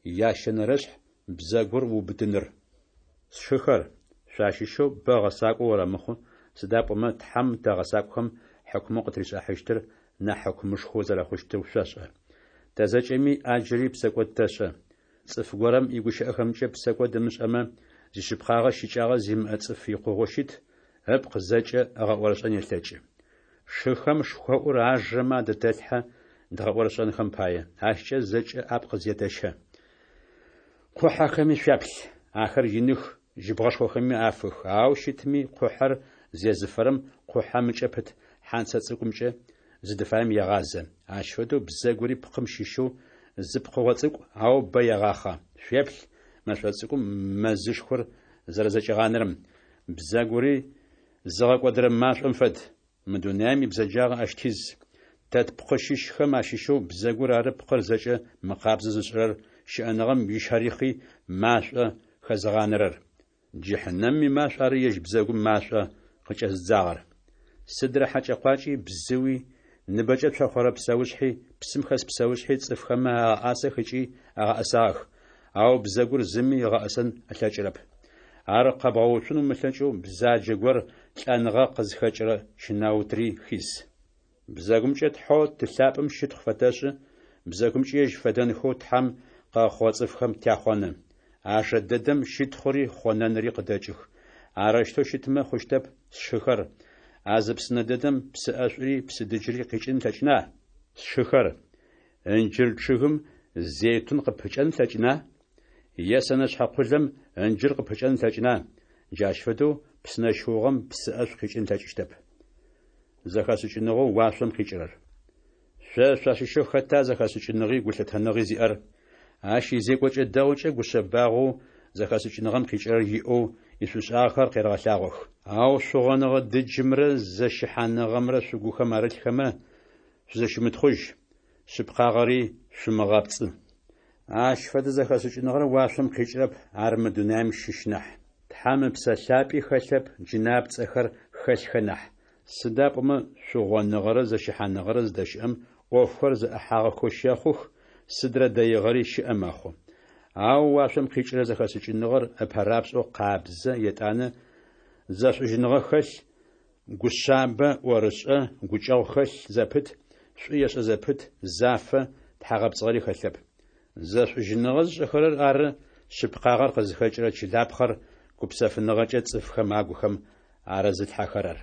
Ящэнэрэшъхь — бзэгур уубытыныр. Сшыхэр, шъуащыщэу бэ гъэсакӏо орэмыхъу, сыда пӏомэ Тхьэм тэ гъэсакӏохэм хьыкумэу къытришӏыхьащтыр нахь хьыкумышхо зэрэхъущтыр шъошӏэ. Тэ зэкӏэми ӏаджыри псэкӏод тэшӏэ. Цӏыф горэм игущыӏэхэмкӏэ псэкӏод ымышӏэмэ, зишъыпкъагъэ щыкӏагъэ зимыӏэ цӏыф икъугъэу щыт, ыпкъ зэкӏэ ыгъэӏорышӏэн елъэкӏы. Шыхэм шхоӏур ажэмэ адытэлъхьэ дгъэӏорышӏэнхэм пае, ащкӏэ зэкӏэ апкъ зетэщэ. Къухьэхэми шъуяплъ. Ахэр иных, жьыбгъэшхохэми афых, ау щытми къухьэр зезыфэрэм къухьэм ыкӏэ пыт хьанцэ цӏыкӏумкӏэ зыдыфаем егъазэ. Ащ фэдэу бзэгури пкъым щыщэу зы пкъыгъо цӏыкӏу, ау бэ егъахъэ. Шъуеплъ мэшӏо цӏыкӏум мэзышхор зэрэзэкӏигъанэрэм. Бзэгури зыгъэкӏодырэ машӏом фэд. Мы дунаем ибзэджагъэ ащ тиз. Тэ тпкъы щыщхэм ащыщэу бзэгур ары пкъыр зэкӏэ мыкъабзэ зышӏырэр, щыӏэныгъэм ищэрихъи машӏо хэзыгъанэрэр. Джыхьнэмым имашӏу ары ежь бзэгум машӏо къыкӏэзыдзагъэр. Сыдрэ хьэкӏэ-къуакӏи, бзыуи, ныбэкӏэ цохъорэ псэушъхьи, псым хэс псэушъхьи цӏыфхэмэ агъэӏасэх ыкӏи агъэӏэсагъэх, ау бзэгур зыми ыгъэӏэсэн ылъэкӏырэп. Ар къэбгъэуцун умылъэкӏэу бзаджэ гор лӏэныгъэ къызхэкӏырэ щэнаутри хиз. Бзэгумкӏэ Тхьэу Ты лъапӏэм щытхъу фэтэшӏы, бзэгумкӏи ежь фэдэнхэу Тхьэм къыгъэхъугъэ цӏыфхэм тяхъоны. А жэ дэдэм щытхъури хъонэнри къыдэкӏых. Арэущтэу щытмэ хъущтэп, сшыхэр, а зы псынэ дэдэм псы ӏэшӏури псы дыджри къикӏын ылъэкӏына? Сшыхэр, ынджыр чъыгым зейтун къыпыкӏэн ылъэкӏына? Е сэнэшъхьэ къулэм ынджыр къыпыкӏэн ылъэкӏына? Джащ фэдэу псынэ щыугъэм псы ӏэшӏу къикӏын ылъэкӏыщтэп. Зэхэшӏыкӏыныгъэу уашъом къикӏырэр. Шъо шъуащыщэу хэта зэхэшӏыкӏыныгъи гулъытэныгъи зиӏэр? Ащ изекӏокӏэ дэгъукӏэ гушъэбагъэу зэхэшӏыкӏыныгъэм къикӏырэр иӏэу ишӏушӏагъэхэр къерэгъэлъагъох. Ау шъугъоныгъэ дыджымрэ зэщыхьаныгъэмрэ шъугухэм арылъхэмэ, шъузэщымытхъужь, шъыпкъагъэри шъумыгъэпцӏы. Ащ фэдэ зэхэшӏыкӏыныгъэр уашъом къикӏырэп, ар мы дунаем щыщ нахь. Тхьэм Ыпсэ Лъапӏи хэлъэп, джынапцӏэхэр хэлъхэ нахь. Сыда пӏомэ шъугъоныгъэрэ зэщыхьаныгъэрэ зыдэщыӏэм ӏофхэр зэӏыхьагъэхэу щэхъух, сыдрэ дэигъэри щыӏэ мэхъу. Ау уашъом къикӏырэ зэхэшӏыкӏыныгъэр ыпэрапшӏэу къабзэ, етӏанэ зэшӏужьыныгъэ хэлъ, гушъабэ, ӏорышӏэ, гукӏэгъу хэлъ зэпыт, шӏу ешӏэ зэпыт, зафэ, тхьагъэпцӏыгъэри хэлъэп. Зэшӏужьыныгъэ зышӏэхэрэр ары шъыпкъагъэр къызхэкӏырэ чылапхъэр гупсэфыныгъэкӏэ цӏыфхэм агухэм арызылъхьэхэрэр.